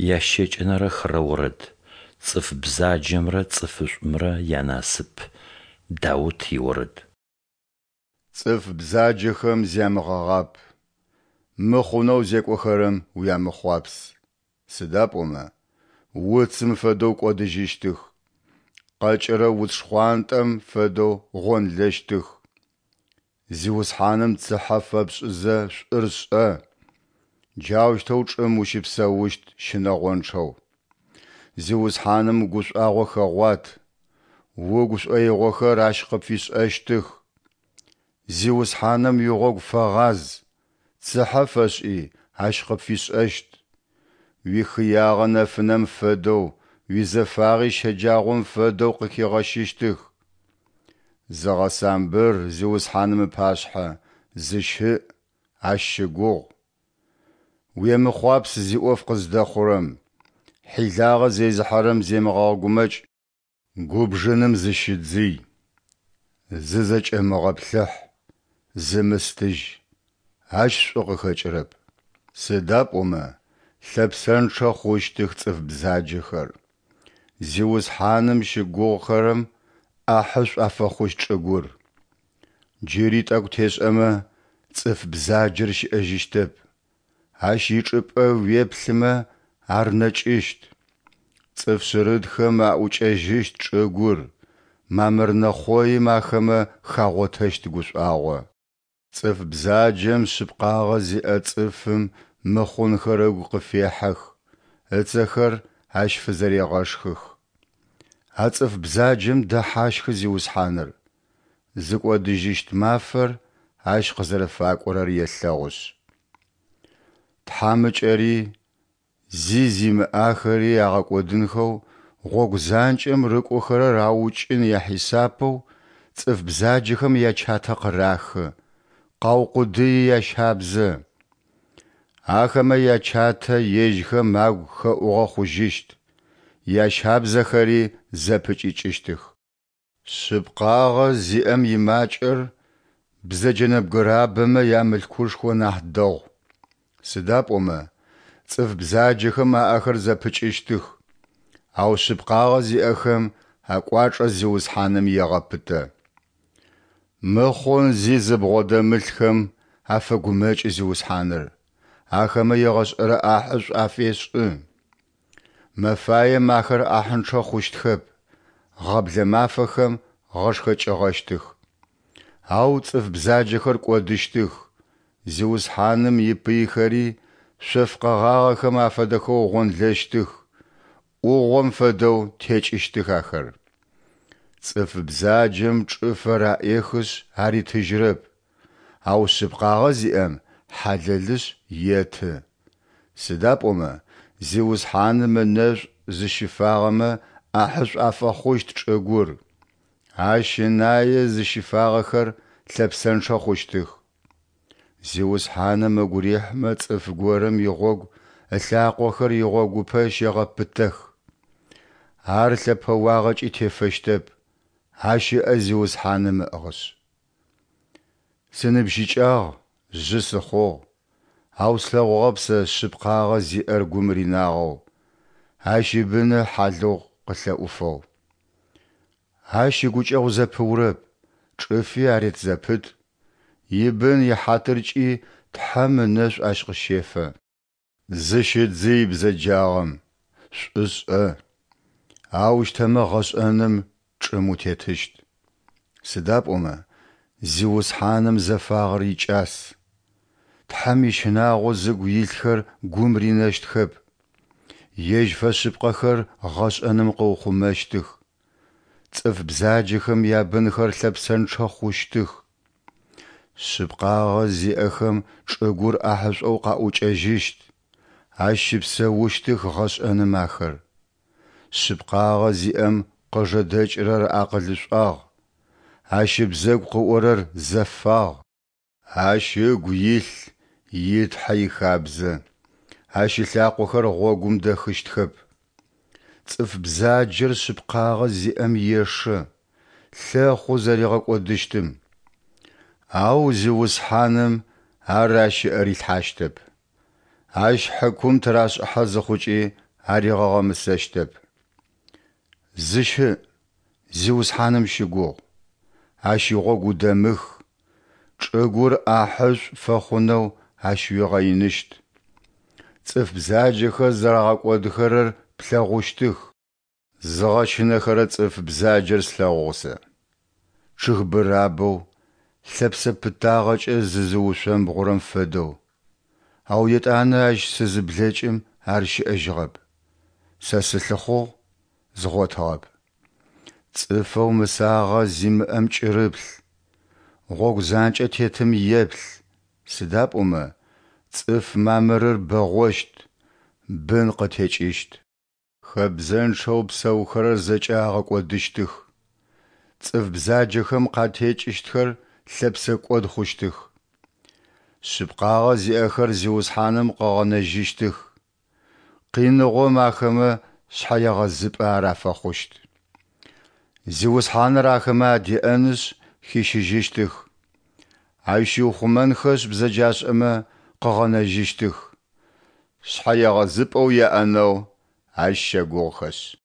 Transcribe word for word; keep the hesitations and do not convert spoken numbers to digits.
Ящэкӏэнэрэ хырэ орэд. Цӏыф бзаджэмрэ цӏыфышӏумрэ янасып. Даут иорэд. Цӏыф бзаджэхэм зямыгъэгъап, мыхъунэу зекӏохэрэм уямыхъуапс, сыда пӏомэ уцым фэдэу кӏодыжьыщтых, къэкӏырэ уц шхъуантӏэм фэдэу гъонлэщтых. Зиусхьаным цыхьэ фэпшӏызэ шӏур шӏэ, джаущтэу чӏым ущыпсэущт щынэгъончъэу. Зиусхьаным гушӏуагъо хэгъуат, угу шӏоигъохэр Ащ къыпфишӏэщтых. Зиусхьаным уигъогу фэгъаз, цыхьэ фэшӏи, Ащ къыпфишӏэщт. Уихыягъэ нэфынэм фэдэу, уизэфагъи щэджагъом фэдэу къыхигъэщыщтых. Зыгъэсамбыр Зиусхьаным ыпашъхьэ, зыщыӏ, Ащ щыгугъ. Уемыхъуапс зиӏоф къыздэхъурэм, хьилагъэ зезыхьэрэм земыгъэгъэгумэкӏ. Губжыным зыщыдзый, зызэкӏэмыгъэплъыхь, зымыстыжь, ащ шӏу къыхэкӏырэп. Сыда пӏомэ лъэпсэнчъэ хъущтых цӏыф бзаджэхэр, Зиусхьаным щыгугъыхэрэм ӏахьышӏу афэхъущт чӏыгур. Джыри тӏэкӏу тешӏэмэ, цӏыф бзаджэр щыӏэжьыщтэп, ащ ичӏыпӏэ уеплъымэ, ар нэкӏыщт. Цӏыф шъырытхэм аӏукӏэжьыщт чӏыгур, мамыр нэхъоим ахэмэ хагъотэщт гушӏуагъо. Цӏыф бзаджэм шъыпкъагъэ зиӏэ цӏыфым мыхъунхэр ыгу къыфехьэх, ыцэхэр ащ фызэрегъэшхых. А цӏыф бзаджэм дэхьащхы Зиусхьаныр, зыкӏодыжьыщт мафэр ащ къызэрэфакӏорэр елъэгъушъ. Тхьамыкӏэри, зи зимыӏахэри агъэкӏодынхэу гъогу занкӏэм рыкӏохэрэр аукӏын яхьисапэу цӏыф бзаджэхэм ячатэ къырахы, къаукъудыи ящабзэ. Ахэмэ ячатэ ежьхэм агу хэӏугъэ хъужьыщт, ящабзэхэри зэпыкӏикӏыщтых. Шъыпкъагъэ зиӏэм имакӏэр бзэджэ нэбгырабэмэ ямылъкушхо нахь дэгъу, сыда пӏомэ цӏыф бзаджэхэм аӏэхэр зэпыкӏыщтых, ау шъыпкъагъэ зиӏэхэм акӏуачӏэ Зиусхьаным егъэпытэ. Мыхъун зи зыбгъодэмылъхэм афэгумэкӏы Зиусхьаныр, ахэмэ егъэшӏэрэ ӏахьышӏу афешӏы. Мэфаем ахэр ӏахьынчъэ хъущтхэп, гъэблэ мафэхэм гъэшхэкӏыгъэщтых. Ау цӏыф бзаджэхэр кӏодыщтых, Зиусхьаным ипыйхэри шъоф къэгъагъэхэм афэдэхэу гъонлэщтых, ӏугъом фэдэу текӏыщтых ахэр. Цӏыф бзаджэм чӏыфэр аӏехышъ аритыжьырэп, ау шъыпкъагъэ зиӏэм хьалэлышъ еты. Сыда пӏомэ Зиусхьаным ынэшӏу зыщыфагъэмэ ӏахьышӏу афэхъущт чӏыгур, Ащ ынае зыщыфагъэхэр лъэпсэнчъэ хъущтых. Зиусхьаным ыгу рихьмэ цӏыф горэм игъогу ылъакъохэр игъогупэ щегъэпытэх. Ар лъэпэуагъэкӏи тефэщтэп, ащ ыӏэ Зиусхьаным ыӏыгъышъ. Сыныбжьыкӏагъ, жъы сыхъугъ, ау слъэгъугъэп сэ шъыпкъагъэ зиӏэр гум ринагъэу, ащ ибыны хьалыгъу къылъэӏуфэу. Ащ игукӏэгъу зэпыурэп, чӏыфи арет зэпыт, ибын ихьатыркӏи Тхьэм ынэшӏу ащ къыщефэ. Зыщыдзый бзэджагъэм, шӏу шӏэ, аущтэмэ гъэшӏэным чӏым утетыщт. Сыда пӏомэ Зиусхьаным зэфагъэр икӏас. Тхьэм ищынагъо зыгу илъхэр гум ринэщтхэп. Ежь фэшъыпкъэхэр гъэшӏэным къыухъумэщтых. Цӏыф бзаджэхэм ябынхэр лъэпсэнчъэ хъущтых. Шъыпкъагъэ зиӏэхэм чӏыгур ӏахьышӏоу къаӏукӏэжьыщт, ащ щыпсэущтых гъэшӏэным ахэр. Шъыпкъагъэ зиӏэм къыжэдэкӏырэр акъылышӏуагъ, ащ ыбзэгу къыӏорэр зэфагъ. Ащ ыгу илъ и Тхьэ ихабзэ, ащ ылъакъохэр гъогум дэхыщтхэп. Цӏыф бзаджэр шъыпкъагъэ зиӏэм ешэ, лъэхъу зэригъэкӏодыщтым. Ау Зиусхьаным ар ащ ыӏэ рилъхьащтэп. Ащ хьыкум тырашӏыхьэ зыхъукӏи аригъэгъэмысэщтэп. Зыщыӏ, Зиусхьаным щыгугъ, Ащ игъогу удэмых, чӏыгур ӏахьышӏу пфэхъунэу Ащ уигъэиныщт. Цӏыф бзаджэхэр зэрагъэкӏодхэрэр плъэгъущтых. Зыгъэщынэхэрэ цӏыф бзаджэр слъэгъугъ сэ, чъыг бырабэу, лъэпсэ пытагъэкӏэ зызыушъомбгъурэм фэдэу, ау етӏанэ ащ сызыблэкӏым ар щыӏэжьыгъэп, сэ сылъыхъугъ, згъотыгъэп. Цӏыфэу мысагъэ зимыӏэм кӏырыплъ, гъогу занкӏэ тетым еплъ, сыда пӏомэ цӏыф мамырыр бэгъощт, бын къытекӏыщт. Хэбзэнчъэу псэухэрэр зэкӏэ агъэкӏодыщтых, цӏыф бзаджэхэм къатекӏыщтхэр лъэпсэкӏод хъущтых. Шъыпкъагъэ зиӏэхэр Зиусхьаным къыгъэнэжьыщтых, къиныгъом ахэмэ шъхьэегъэзыпӏэ ар афэхъущт. Зиусхьаныр ахэмэ адеӏэнышъ хищыжьыщтых, Ащ щиухъумэнхэшъ бзэджашӏэмэ къыгъэнэжьыщтых, шъхьэегъэзыпӏэу яӏэнэу Ащ щэгугъыхэшъ.